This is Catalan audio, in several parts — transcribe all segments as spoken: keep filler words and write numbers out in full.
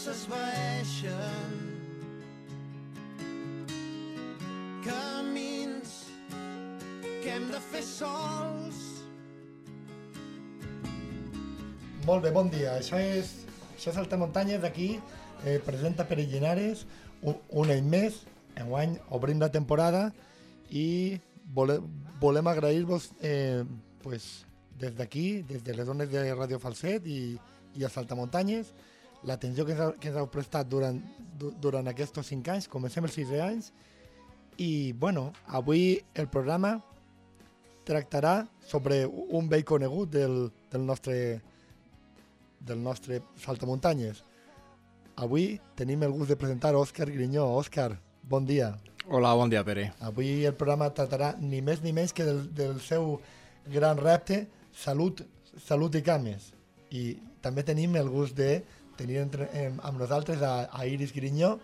s'esvaeixen, camins que hem de fer sols. Molt bé, bon dia. Això és, això és Saltamuntanyes, d'aquí, eh, presenta Pere Llinares, un, un any més, enguany obrim la temporada i vole, volem agrair-vos eh, pues, des d'aquí, des de les zones de Ràdio Falset i, i a Saltamuntanyes, l'atenció que, ens, que ens heu prestat durant, du, durant aquests cinc anys, comencem els sis anys, i bueno, avui el programa tractarà sobre un vell conegut del, del nostre del nostre Saltamuntanyes. Avui tenim el gust de presentar Òscar Grinyó. Òscar, bon dia. Hola, bon dia, Pere. Avui el programa tratarà ni més ni menys que del, del seu gran repte, Salut, Salut i Cames. I també tenim el gust de tenir entre, eh, amb nosaltres a, a Iris Grinyó,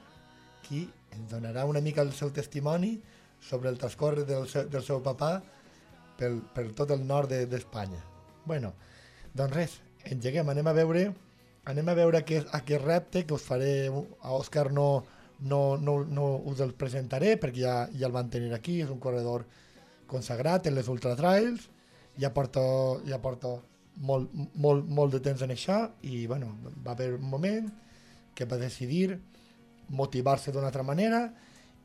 qui ens donarà una mica el seu testimoni sobre el transcorre del seu, del seu papà pel, per tot el nord d'Espanya. De, bueno, doncs res, engeguem, anem a veure anem a veure aquest, aquest repte que us faré a Òscar. No, no, no, no us el presentaré perquè ja, ja el van tenir aquí, és un corredor consagrat en les ultratrails, ja porto, ja porto molt, molt, molt de temps en això i bueno, va haver un moment que va decidir motivar-se d'una altra manera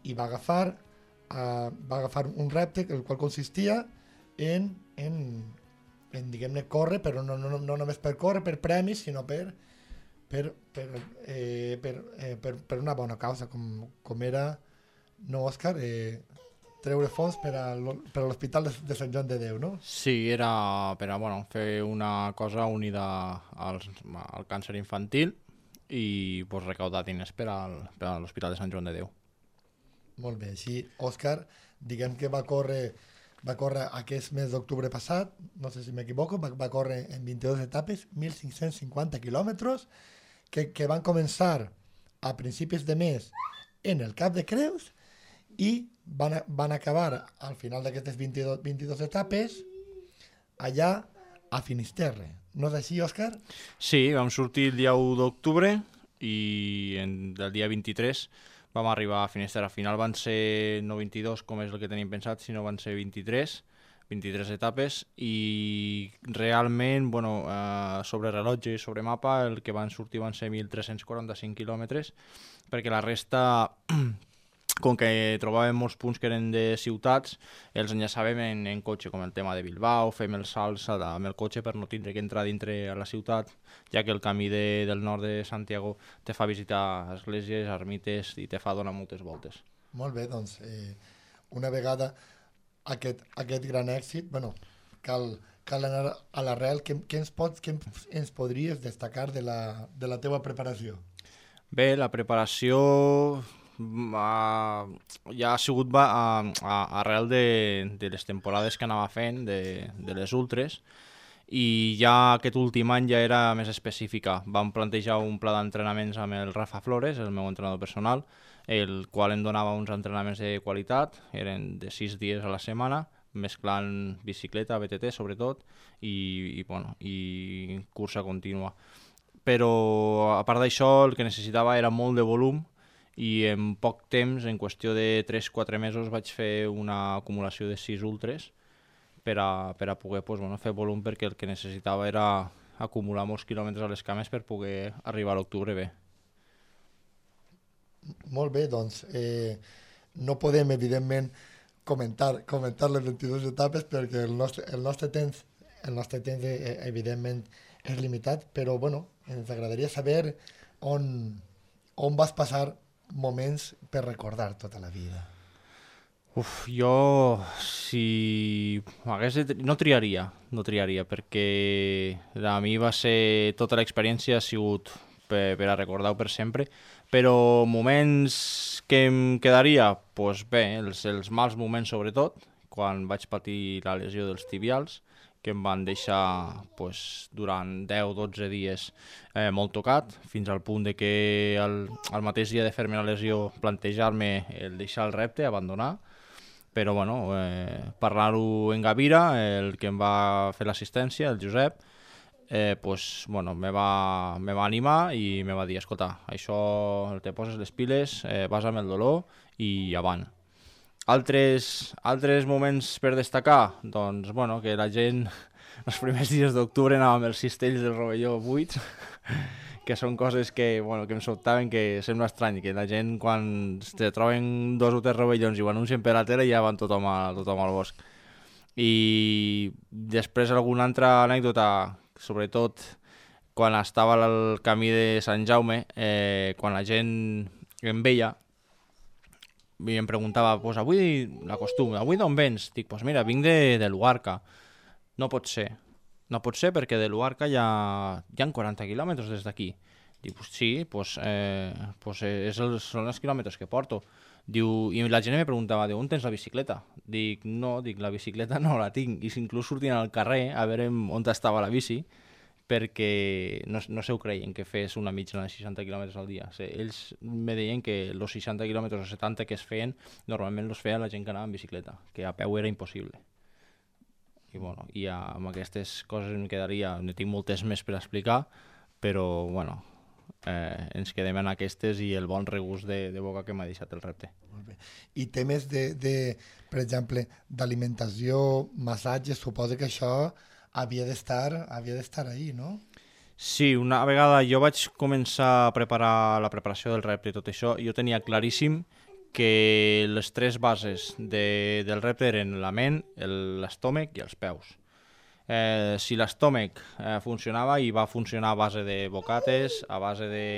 i va agafar, uh, va agafar un repte el qual consistia en, en en, diguem-ne, córrer, però no, no, no només per córrer, per premis, sinó per, per, per, eh, per, eh, per, per una bona causa, com, com era, no, Òscar, eh, treure fons per a l'Hospital de, de Sant Joan de Déu, no? Sí, era per a bueno, fer una cosa unida al, al càncer infantil i pues, recaudar diners per, al, per a l'Hospital de Sant Joan de Déu. Molt bé, així, Òscar, diguem que va córrer va córrer aquest mes d'octubre passat, no sé si m'equivoco, va, va córrer en vint-i-dues etapes, mil cinc-cents cinquanta quilòmetres, que, que van començar a principis de mes en el Cap de Creus i van, van acabar al final d'aquestes vint-i-dues, vint-i-dues etapes allà a Finisterre. No és així, Òscar? Sí, vam sortir el dia u d'octubre i en, el dia vint-i-tres vam arribar a Finisterre. Al final van ser no vint-i-dos, com és el que tenim pensat, sinó van ser vint-i-tres, vint-i-tres etapes i realment, bueno, eh, sobre rellotge i sobre mapa, el que van sortir van ser mil tres-cents quaranta-cinc quilòmetres, perquè la resta, com que trobàvem molts punts que eren de ciutats, els enllaçàvem en, en cotxe, com el tema de Bilbao, fem els salts amb el cotxe per no tindre que entrar dintre a la ciutat, ja que el camí de, del nord de Santiago te fa visitar esglésies, ermites i te fa donar moltes voltes. Molt bé, doncs, eh, una vegada aquest, aquest gran èxit, bueno, cal, cal anar a l'arrel. Què, què, ens pots, què ens podries destacar de la, de la teua preparació? Bé, la preparació Uh, ja ha sigut va, uh, uh, arrel de, de les temporades que anava fent, de, de les ultres, i ja aquest últim any ja era més específica. Vam plantejar un pla d'entrenaments amb el Rafa Flores, el meu entrenador personal, el qual em donava uns entrenaments de qualitat, eren de sis dies a la setmana, mesclant bicicleta, B T T sobretot, i, i, bueno, i cursa contínua. Però a part d'això el que necessitava era molt de volum, i en poc temps, en qüestió de tres quatre mesos, vaig fer una acumulació de sis ultres per a, per a poder pues, bueno, fer volum, perquè el que necessitava era acumular molts quilòmetres a les cames per poder arribar a l'octubre bé. Molt bé, doncs eh, no podem evidentment comentar, comentar les vint-i-dues etapes perquè el nostre, el nostre temps, el nostre temps eh, evidentment és limitat, però bueno, ens agradaria saber on, on vas passar moments per recordar tota la vida. Uf, jo si hagués de, no triaria, no triaria, perquè a mi va ser, tota l'experiència ha sigut per, per a recordar-ho per sempre, però moments que em quedaria, doncs bé, els, els mals moments sobretot, quan vaig patir la lesió dels tibials, que em van deixar pues, durant deu dotze dies eh, molt tocat, fins al punt de que el, el mateix dia de fer-me la lesió plantejar-me el deixar el repte, abandonar, però bueno, eh, parlar-ho en Gavira, el que em va fer l'assistència, el Josep, eh, pues, bueno, me va, me va animar i me va dir, escolta, això te poses les piles, eh, vas amb el dolor i avant. Altres, altres moments per destacar? Doncs, bueno, que la gent els primers dies d'octubre anava amb els cistells del rovelló buits, que són coses que, bueno, que em sobtaven, que sembla estrany, que la gent quan se troben dos o tres rovellons i ho anuncien per la tele ja van tothom, a, tothom al bosc. I després alguna altra anècdota, sobretot quan estava al camí de Sant Jaume, eh, quan la gent em veia i em preguntava, pues avui l'acostum, avui d'on vens? Dic, pues mira, vinc de, de Luarca. No pot ser. No pot ser perquè de Luarca hi ha, hi ha quaranta quilòmetres des d'aquí. Dic, pues sí, pues, eh, pues és els, són els quilòmetres que porto. Diu, i la gent me preguntava, on tens la bicicleta? Dic, no, dic, la bicicleta no la tinc. I inclús sortien al carrer a veure on estava la bici, perquè no, no se ho creien que fes una mitjana de seixanta quilòmetres al dia. O sigui, ells me deien que els seixanta quilòmetres o setanta que es feien, normalment els feia la gent que anava en bicicleta, que a peu era impossible. I, bueno, i amb aquestes coses em quedaria, ne tinc moltes més per explicar, però bueno, eh, ens quedem en aquestes i el bon regust de, de boca que m'ha deixat el repte. Molt bé. I temes de, de per exemple, d'alimentació, massatges, suposo que això havia d'estar havia d'estar ahí, no? Sí, una vegada jo vaig començar a preparar la preparació del repte i tot això, jo tenia claríssim que les tres bases de, del repte eren la ment, l'estómac i els peus. Eh, si l'estómac eh, funcionava, i va funcionar a base de bocates, a base de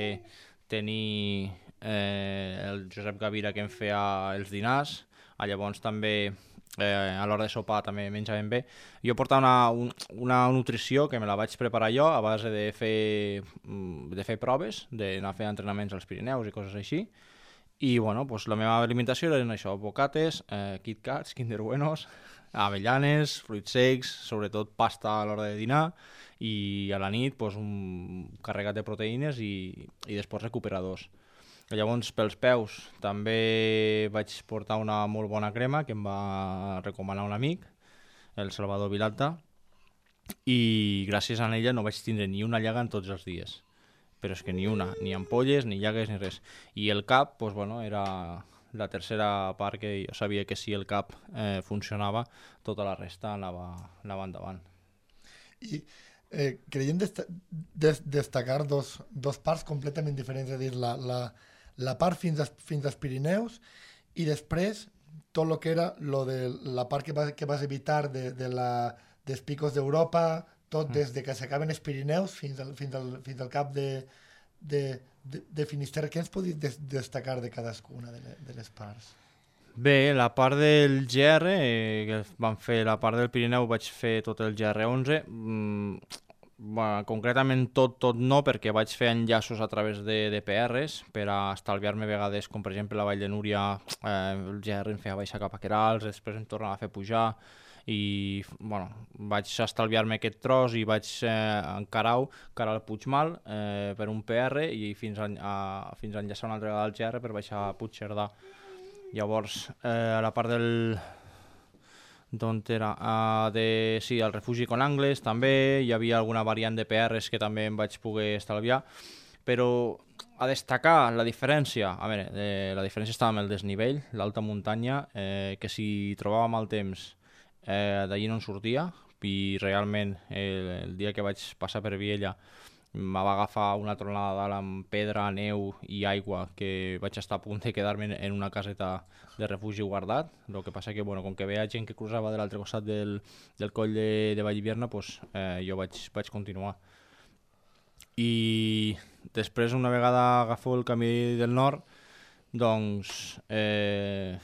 tenir eh, el Josep Gavira que em feia els dinars, a llavors també eh, a l'hora de sopar també menjaven bé. Jo portava una, un, una nutrició que me la vaig preparar jo a base de fer, de fer proves, d'anar a fer entrenaments als Pirineus i coses així. I bueno, pues la meva alimentació eren això, bocates, eh, Kit Kats, Kinder Buenos, avellanes, fruits secs, sobretot pasta a l'hora de dinar, i a la nit pues, un carregat de proteïnes i, i després recuperadors. Llavors, pels peus, també vaig portar una molt bona crema que em va recomanar un amic, el Salvador Vilalta, i gràcies a ella no vaig tindre ni una llaga en tots els dies. Però és que ni una, ni ampolles, ni llagues, ni res. I el cap, pues, bueno, era la tercera part que jo sabia que si el cap eh, funcionava, tota la resta anava, anava endavant. I eh, creiem desta des destacar dos, dos parts completament diferents, és a dir, la, la, la part fins, a, fins als Pirineus i després tot el que era lo de la part que vas, que vas evitar de, de la, dels picos d'Europa, tot des de que s'acaben els Pirineus fins al, fins al, fins al cap de, de, de, de Finisterre. Què ens podries des destacar de cadascuna de, le, de les parts? Bé, la part del G R, eh, que vam fer la part del Pirineu, vaig fer tot el G R onze. Mm, bueno, concretament tot, tot no, perquè vaig fer enllaços a través de, de P Rs per a estalviar-me vegades, com per exemple la Vall de Núria, eh, el G R em feia baixar cap a Querals, després em tornava a fer pujar, i bueno, vaig estalviar-me aquest tros i vaig eh, encarar-ho cara al Puigmal eh, per un P R i fins a, a, fins a enllaçar una altra vegada al G R per baixar a Puigcerdà. Llavors, eh, a la part del... d'on era? Uh, de, sí, el refugi con Angles també, hi havia alguna variant de P Rs que també em vaig poder estalviar, però a destacar la diferència, a veure, eh, la diferència estava amb el desnivell, l'alta muntanya, eh, que si trobava mal temps Eh, d'allí no en sortia, i realment el, el dia que vaig passar per Viella em va agafar una tronada dalt amb pedra, neu i aigua, que vaig estar a punt de quedar-me en una caseta de refugi guardat. El que passa que, bueno, com que veia gent que cruzava de l'altre costat del, del coll de, de Vallhivierna, pues, eh, jo vaig, vaig continuar. I després, una vegada agafo el camí del nord, doncs... Eh,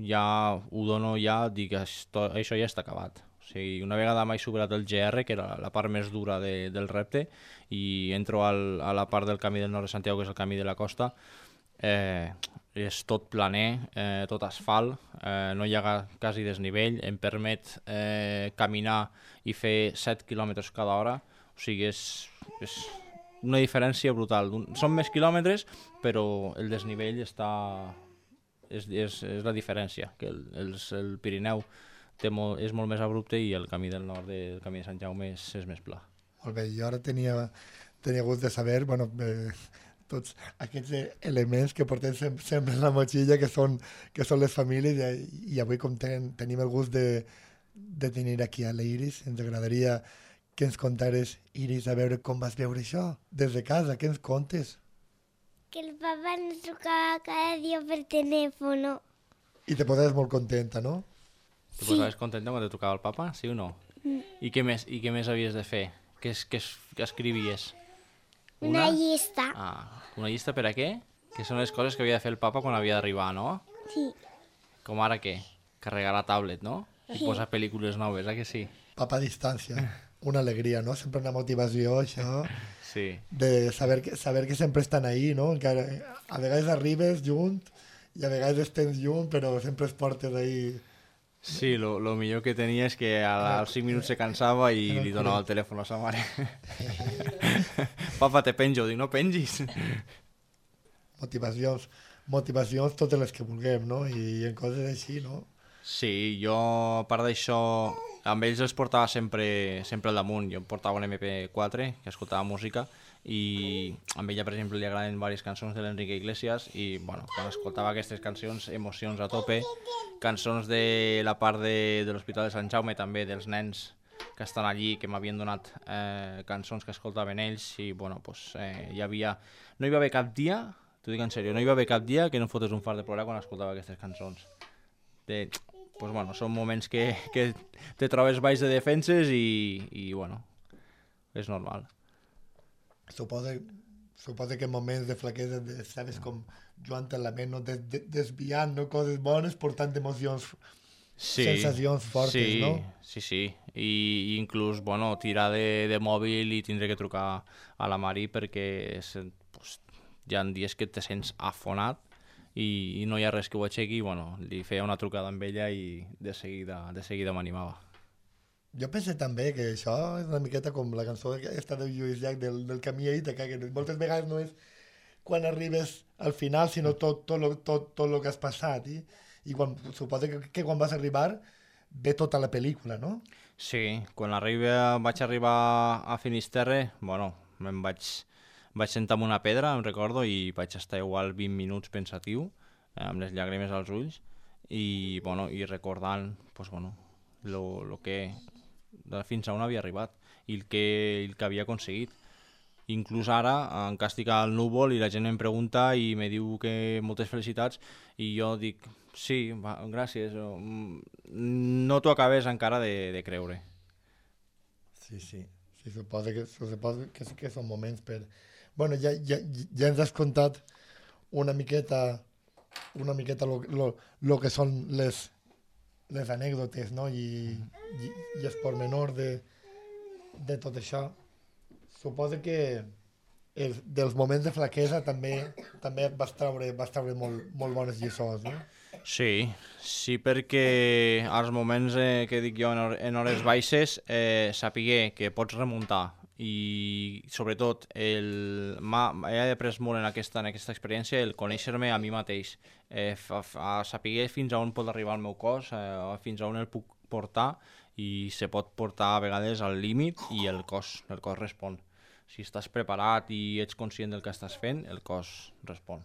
ja ho dono, ja dic això, això ja està acabat. O sigui, una vegada m'he superat el G R, que era la part més dura de, del repte, i entro al, a la part del camí del nord de Santiago, que és el camí de la costa, eh, és tot planer, eh, tot asfalt, eh, no hi ha quasi desnivell, em permet eh, caminar i fer set quilòmetres cada hora, o sigui, és, és una diferència brutal. Són més quilòmetres, però el desnivell està... És, és, és la diferència, que el, el, el Pirineu té molt, és molt més abrupte i el camí del nord, de, el camí de Sant Jaume, és, és més pla. Molt bé, jo ara tenia, tenia gust de saber, bueno, eh, tots aquests eh, elements que portem sem sempre en la motxilla, que són, que són les famílies, i, i avui com ten, tenim el gust de, de tenir aquí a la Iris, ens agradaria que ens contares, Iris, a veure com vas veure això, des de casa, què ens contes? Que el papá nos tocaba cada día por teléfono. I te poses molt contenta, no? Te Sí. posaves contenta quan te tocava el papa, sí o no? Mm. I què més, i què més havies de fer? Què, es, què, es, què escrivies? Una llista. Ah, una llista per a què? Que són les coses que havia de fer el papa quan havia d'arribar, no? Sí. Com ara què? Carregar la tablet, no? I posar pel·lícules noves, eh que sí? Papa a distància, una alegria, no? Sempre una motivació, això, Sí. de saber que, saber que sempre estan ahí, no? Que a vegades arribes junt i a vegades tens junt, però sempre es portes ahí. Sí, lo, lo millor que tenia és que a- als cinc minuts se cansava i Era li el donava culer. el telèfon a sa mare. Papa, te penjo. Dic, no pengis. Motivacions, motivacions totes les que vulguem, no? I en coses així, no? Sí, jo, a part d'això, amb ells els portava sempre, sempre al damunt. Jo em portava un eme pe quatre, que escoltava música, i a ella, per exemple, li agraden diverses cançons de l'Enrique Iglesias, i, bueno, quan escoltava aquestes cancions, emocions a tope, cançons de la part de, de l'Hospital de Sant Jaume, també, dels nens que estan allí, que m'havien donat eh, cançons que escoltaven ells, i, bueno, pues, eh, hi havia... No hi va haver cap dia, t'ho dic en sèrio, no hi va haver cap dia que no fotés un fart de plorar quan escoltava aquestes cançons. De, pues bueno, són moments que, que te trobes baix de defenses i, i bueno, és normal. Suposa, suposa que en moments de flaquesa de, sabes com Joan te la ment, no? Des, de, desviant, no? Coses bones, portant emocions, Sí, sensacions fortes, sí, no? Sí, sí, i i inclús, bueno, tirar de, de mòbil i tindré que trucar a la Mari perquè se, pues, hi ha dies que te sents afonat i, i no hi ha res que ho aixequi, i, bueno, li feia una trucada amb ella i de seguida, de seguida m'animava. Jo penso també que això és una miqueta com la cançó aquesta de Lluís Llach del, del camí a Ítaca, que moltes vegades no és quan arribes al final, sinó tot, tot, lo, tot, tot lo que has passat. I, i quan, suposo que, que quan vas arribar ve tota la pel·lícula, no? Sí, quan arriba, vaig arribar a Finisterre, bueno, me'n vaig, vaig sentar en una pedra, em recordo, i vaig estar igual vint minuts pensatiu, eh, amb les llàgrimes als ulls, i, bueno, i recordant, pues, bueno, lo, lo que, de fins a on havia arribat i el que, el que havia aconseguit. Inclús ara encara estic al núvol i la gent em pregunta i me diu que moltes felicitats i jo dic, sí, va, gràcies, no t'ho acabes encara de, de creure. Sí, sí. Sí, suposo que, suposo que sí que són moments per... Bueno, ja, ja, ja ens has contat una miqueta una miqueta lo, lo, lo que són les, les anècdotes, no? I, i, i els pormenors de, de tot això. Suposo que el, dels moments de flaquesa també també vas treure, vas treure molt, molt bones lliçons, no? Sí, sí, perquè als moments eh, que dic jo en, hor en hores baixes eh, sapiguer que pots remuntar i sobretot el, he après molt en aquesta, en aquesta experiència el conèixer-me a mi mateix, eh, a, a saber fins a on pot arribar el meu cos, eh, fins a on el puc portar i se pot portar a vegades al límit i el cos, el cos respon. Si estàs preparat i ets conscient del que estàs fent, el cos respon.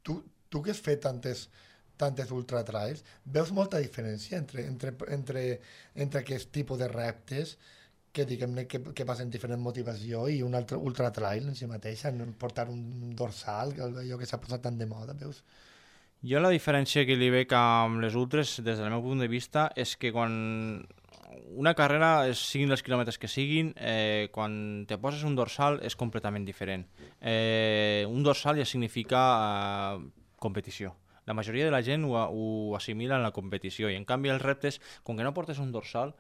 Tu, tu que has fet tantes, tantes ultratrails, veus molta diferència entre, entre, entre, entre aquest tipus de reptes que diguem-ne que, que passen diferent motivació i un altre ultratrail en si mateix, en portar un dorsal, allò que s'ha posat tan de moda, veus? Jo la diferència que li veig amb les ultres, des del meu punt de vista, és que quan una carrera, siguin els quilòmetres que siguin, eh, quan te poses un dorsal és completament diferent. Eh, un dorsal ja significa eh, competició. La majoria de la gent ho, ho assimila en la competició i en canvi els reptes, com que no portes un dorsal,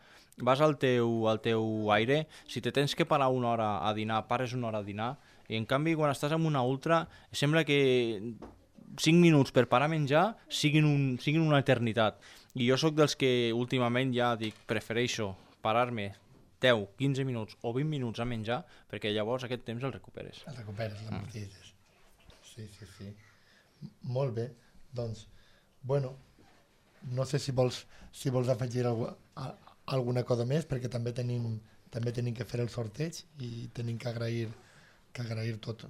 vas al teu, al teu aire, si te tens que parar una hora a dinar, pares una hora a dinar, i en canvi quan estàs en una ultra sembla que cinc minuts per parar a menjar siguin, un, siguin una eternitat. I jo sóc dels que últimament ja dic, prefereixo parar-me deu, quinze minuts o vint minuts a menjar perquè llavors aquest temps el recuperes. El recuperes, l'amortitzes. Sí, sí, sí. Molt bé. Doncs, bueno, no sé si vols, si vols afegir algu a, alguna cosa més, perquè també tenim, també tenim que fer el sorteig i tenim que agrair, que agrair tot.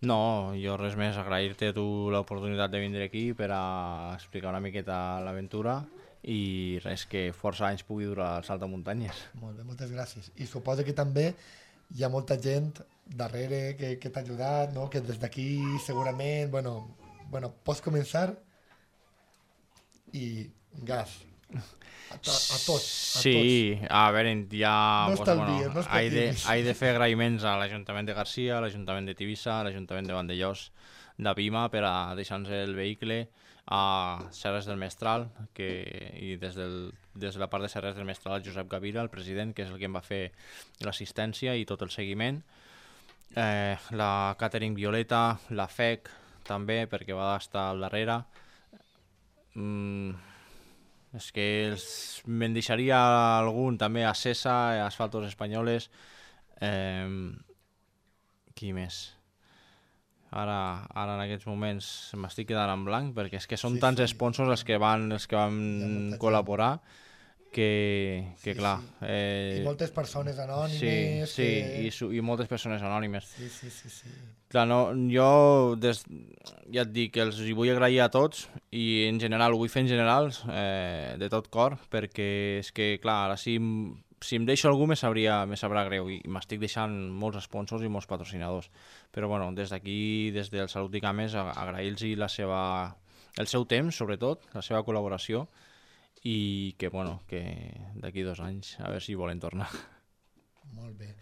No, jo res més, agrair-te a tu l'oportunitat de vindre aquí per a explicar una miqueta l'aventura i res, que força anys pugui durar el salt de muntanyes. Molt bé, moltes gràcies. I suposo que també hi ha molta gent darrere que, que t'ha ajudat, no? Que des d'aquí segurament, bueno, bueno, pots començar i gas. A, to, a tots, a sí, tots. a veure, ja... No pues, estalvies, bueno, no he de, escatis. he de fer agraïments a l'Ajuntament de Garcia, a l'Ajuntament de Tivissa, a l'Ajuntament de Vandellós, de Pima, per a deixar-nos el vehicle, a Serres del Mestral, que, i des, del, des de la part de Serres del Mestral, el Josep Gavira, el president, que és el que em va fer l'assistència i tot el seguiment. Eh, la Catering Violeta, la F E C, també, perquè va estar al darrere. Mm, és que els, me'n deixaria algun, també a Cesa, a Asfaltos Espanyoles. Eh, qui més? Ara, ara en aquests moments m'estic quedant en blanc perquè és que són Sí, tants sí. sponsors els que van, els que van molta col·laborar que, que Sí, clar... sí. Eh, I moltes persones sí, anònimes. sí, que... i, su, i moltes persones anònimes. Sí, sí, sí, sí. Clar, no, jo des, ja et dic que els hi vull agrair a tots i en general, ho vull fer en general, eh, de tot cor, perquè és que, clar, ara si, em- si em deixo algú me, sabria, me sabrà greu i m'estic deixant molts sponsors i molts patrocinadors. Però bueno, des d'aquí, des del Salut i Cames, a- agrair-los la seva, el seu temps, sobretot, la seva col·laboració i que, bueno, que d'aquí dos anys a veure si volen tornar. Molt bé.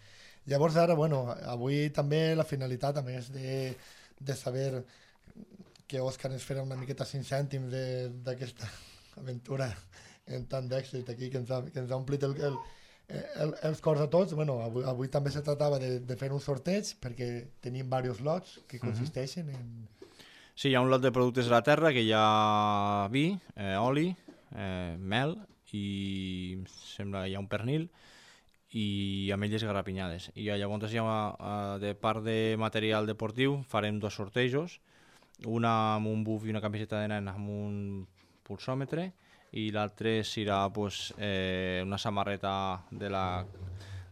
Llavors ara, bueno, avui també la finalitat, a més de, de saber que Òscar ens farà una miqueta cinc cèntims de- d'aquesta aventura en tant d'èxit aquí, que ens ha, que ens ha omplit el, el, el, els cors a tots. Bueno, avui, avui també se tractava de, de fer un sorteig perquè tenim diversos lots que consisteixen en... Sí, hi ha un lot de productes de la terra que hi ha vi, eh, oli, eh, mel i em sembla que hi ha un pernil i ametlles garrapinyades. I llavors hi ha, eh, de part de material deportiu farem dos sortejos, una amb un buf i una camiseta de nen amb un pulsòmetre i l'altre serà pues, eh, una samarreta de la,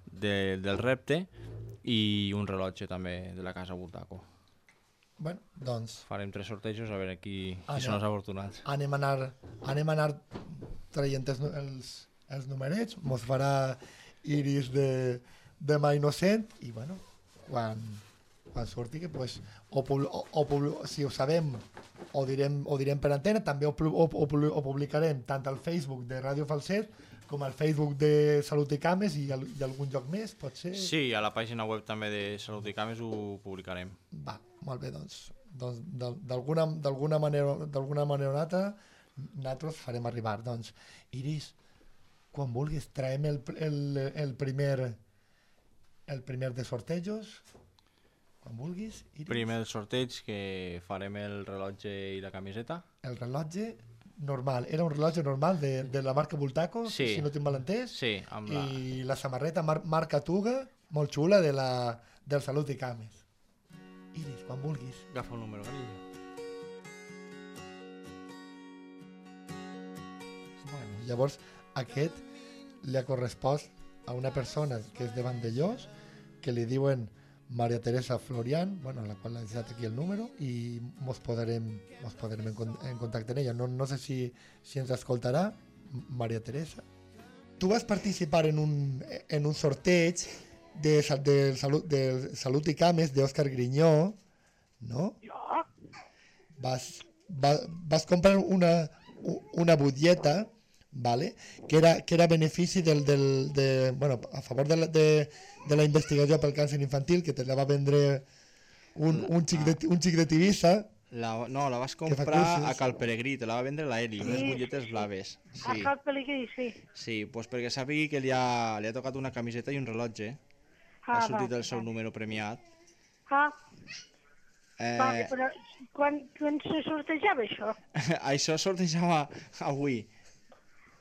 de, del repte i un rellotge també de la casa Bultaco. Bueno, doncs Farem tres sortejos a veure qui, Ah, qui són no. els afortunats. anem a anar, anem a anar traient els, nu- els, els numerets, mos farà Iris de, de mà innocent i bueno, quan, quan surti que pues, o, pub- o, o, pub- si ho sabem ho direm, ho direm per antena, també ho, pu- o, o, pu- ho publicarem tant al Facebook de Ràdio Falset com al Facebook de Salut i Cames i, al, i algun lloc més, pot ser? Sí, a la pàgina web també de Salut i Cames ho publicarem. Va, molt bé, doncs, doncs d'al- d'alguna d'alguna manera, d'alguna manera o altra nosaltres farem arribar. Doncs, Iris, quan vulguis, traiem el, el, el primer el primer de sortejos, quan vulguis, Iris. Primer el sorteig, que farem el rellotge i la camiseta. El rellotge normal, era un rellotge normal de, de la marca Bultaco, Sí. si no tinc mal entès, Sí, amb la... i la samarreta mar, marca Tuga, molt xula, de la, del Salut i Cames. Iris, quan vulguis. Agafa el número, carinyo. Bueno, llavors, aquest li ha correspost a una persona que és de Vandellós, que li diuen Maria Teresa Florian, bueno, a la qual l'ha deixat aquí el número, i mos posarem, mos posarem en, con- en contacte amb ella. No, no sé si, si ens escoltarà, M- Maria Teresa. Tu vas participar en un, en un sorteig de, sa- del Salut, del Salut i Cames d'Òscar Grinyó, no? Jo? Vas, va, vas comprar una, u- una butlleta, vale? que, era, que era benefici del, del, de, bueno, a favor de la, de, de la investigació pel càncer infantil, que te la va vendre un, un, xic, de, un xic de Tivissa. La, no, la vas fa comprar cursos. a Cal Peregrí, te la va vendre la Eli, unes Sí. butlletes blaves. A Sí, Cal Pelegrí, sí. sí, pues perquè sàpigui que li ha, li ha tocat una camiseta i un rellotge. Ah, Ha sortit va, el seu va. número premiat. Ah, Eh, vale, però quan, quan se sortejava això? això sortejava avui.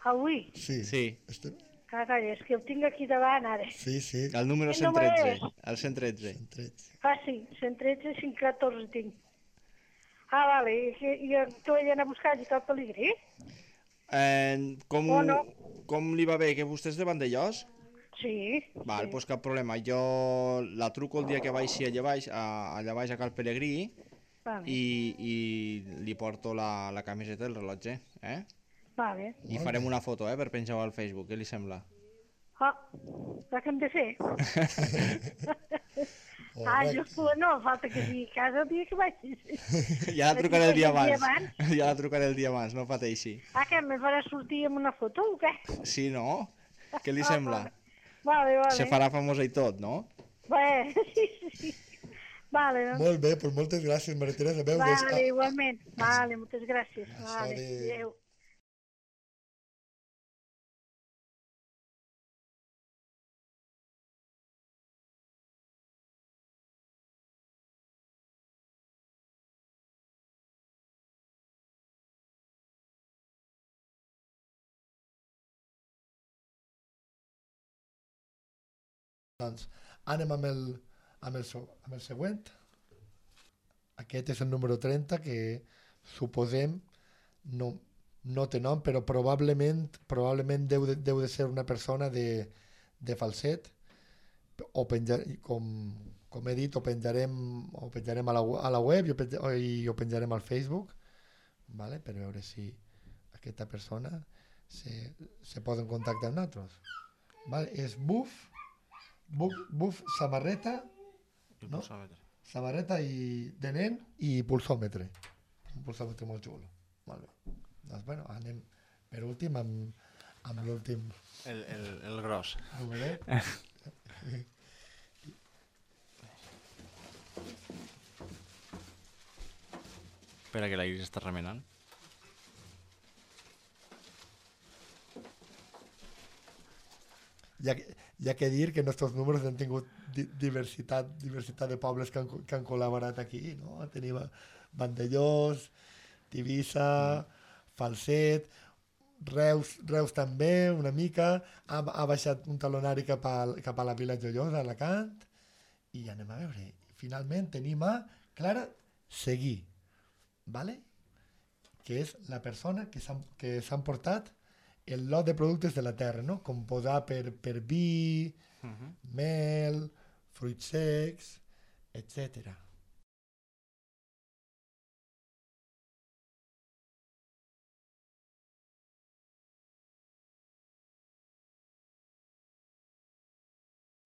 Avui? Sí, Sí, Este, Carai, és que ho tinc aquí davant ara. sí, sí. el número Quin número cent tretze. és? El cent tretze. tretze. Ah, sí, cent tretze, cinc catorze tinc. Ah, vale, i, que- i tu ella anar a buscar allà Cal Pelegrí? Eh, com, O no. com li va bé que vostè és de Vandellós? Sí. Val, sí. doncs cap problema. Jo la truco el dia que baixi allà baix, a, allà baix a Cal Pelegrí, Vale. i, i li porto la, la camiseta i el rellotge, eh? Vale. I farem una foto, eh, per penjar-ho al Facebook, què li sembla? Ah, la que hem de fer? Ah, Correcte. jo no, falta que sigui a casa el dia que vagis. Ja la trucaré el dia El dia abans. Ja la trucaré el dia abans, no pateixi. Ah, que me farà sortir amb una foto o què? Sí, no? Què li Ah, sembla? Vale, vale. Se farà famosa i tot, no? Bé, sí, sí, sí. Vale, doncs. Molt bé, doncs moltes gràcies, Maria Teresa. Veus, Vale, des- igualment. Vale, moltes gràcies. Això Vale, de- adéu. Doncs anem amb el, amb, el, so- amb el següent. Aquest és el número trenta, que suposem no, no té nom, però probablement probablement deu de, deu de ser una persona de, de Falset, o penjar, com, com he dit, ho penjarem, ho penjarem a, la, a la web i ho, penja, i ho penjarem al Facebook, vale? Per veure si aquesta persona se, se posa en contacte amb nosaltres. Vale? És Buf, Buf, Buf samarreta, I No? pulsòmetre. samarreta i de nen i pulsòmetre. Un pulsòmetre molt xulo. Molt bé. Doncs, bueno, anem per últim amb, amb l'últim El, el, el gros. numeret. Espera que la Iris està remenant. Hi ha, que- hi ha que dir que nostres números han tingut di diversitat, diversitat de pobles que han, co- que han col·laborat aquí, no? Tenim a Vandellós, Tivissa, Falset, Reus, Reus també, una mica, ha, ha baixat un talonari cap a, cap a la Vila Joiosa, a Alacant, i anem a veure. Finalment tenim a Clara Seguí, ¿vale? Que és la persona que s'han que s'han portat el lot de productes de la terra, no? Com posar per, per vi, Uh -huh. mel, fruits secs, etcètera.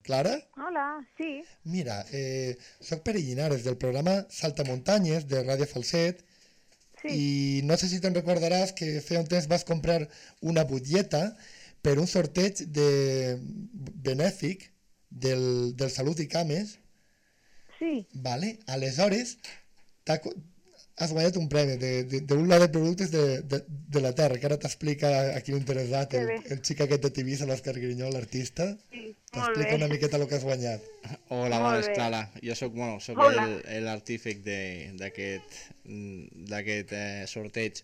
Clara? Hola, sí. Mira, eh, soc Pere Llinares del programa Saltamuntanyes de Ràdio Falset Sí. i no sé si te'n recordaràs que feia un temps vas comprar una butlleta per un sorteig de benèfic del, del Salut i Cames, Sí. vale? Aleshores t'ha co- has guanyat un premi de- de- d'un lot de productes de, de, de la terra, que ara t'explica aquí l'interessat, Que el, bé. el xic aquest de Tivissa, l'Òscar Grinyó, l'artista, Sí, molt t'explica bé. una miqueta el que has guanyat. Hola, Molt bones, bé. Clara. Jo sóc, bueno, sóc Hola. el- el artífic de- d'aquest mm, d'aquest eh, sorteig.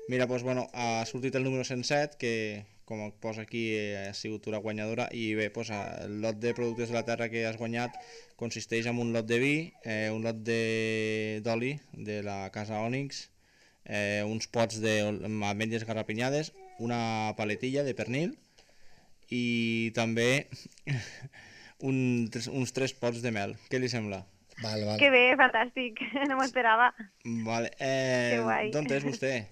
Mira, doncs, bueno, ha sortit el número cent set, que, com et posa aquí, eh, ha sigut tu la guanyadora, i bé, doncs, el lot de productes de la terra que has guanyat consisteix en un lot de vi, eh, un lot de- d'oli de la casa Ònix, eh, uns pots d'ametlles garrapinyades, una paletilla de pernil, i també un, tres- uns tres pots de mel. Què li sembla? Vale, vale. Que bé, fantàstic, no m'ho esperava. Vale. Eh, Que guai. D'on és vostè?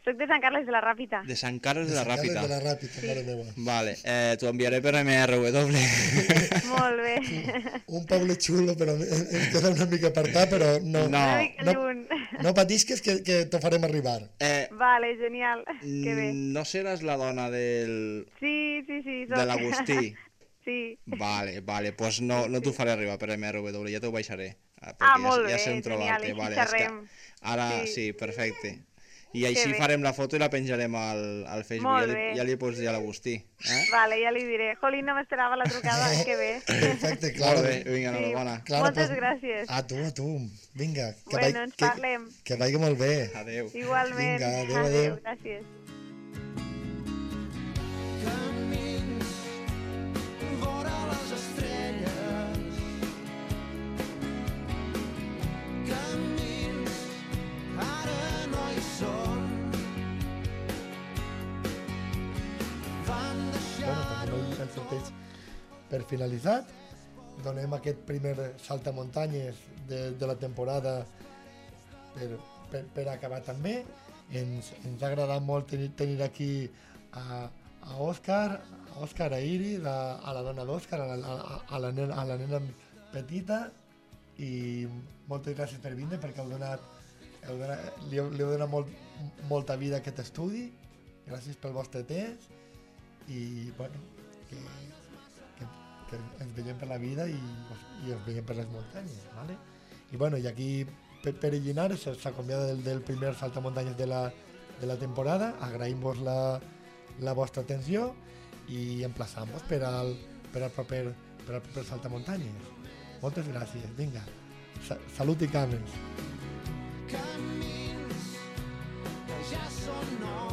Soc de Sant Carles de la Ràpita. De Sant Carles de la Sant Carles Ràpita. de la Ràpita, mare meva. Vale, eh, t'ho enviaré per M R W. Molt bé. Un poble xulo, però ens queda una mica apartat, però no, No. Una mica no, lluny. no patisques que, que t'ho farem arribar. Eh, Vale, genial. Que bé. no seràs la dona del, Sí, sí, sí. Soc. de l'Agustí? Sí. Vale, vale, doncs no, no t'ho faré arribar per M R W, ja t'ho baixaré. Ah, Ah, perquè molt ja, ja bé, sé on genial, trobar-te. així Vale, és que xerrem. ara Sí. sí, perfecte. I així bé. farem la foto i la penjarem al, al Facebook. Molt Ja li, bé. ja li pots dir a l'Agustí. Eh? Vale, ja li diré. Jolín, no m'esperava la trucada. Que bé. Perfecte, Clara. Molt bé, vinga, Sí. enhorabona. Clara, Moltes pues, gràcies. A tu, a tu. Vinga, que, Bueno, vai- ens que, parlem. que vagi molt bé. Adéu. Igualment. Vinga, adéu, adéu. Gràcies. Camins vora les estrelles. Camins ara no hi són. Van Bueno, deixar doncs no ens sorteig per finalitzat. Donem aquest primer saltamuntanyes de, de la temporada per, per, per acabar també. Ens, ens ha agradat molt tenir, tenir aquí a, a Òscar, a Òscar, a Iri, la, a la dona d'Òscar, a, la, a, a, la nena, a la nena petita, i moltes gràcies per vindre perquè heu donat, heu donat, li, heu, li heu donat molt, molta vida a aquest estudi. Gràcies pel vostre temps i bueno, que, que, que ens veiem per la vida i, i ens veiem per les muntanyes, ¿vale? I bueno, i aquí Pere Llinares s'acomiada del, del primer saltamuntanyes de la, de la temporada. Agraïm-vos la, la vostra atenció i emplaçam-vos per al, per al proper, per al proper saltamuntanyes. Moltes gràcies, vinga. Sa Salut i cames. Camins que ja són nous.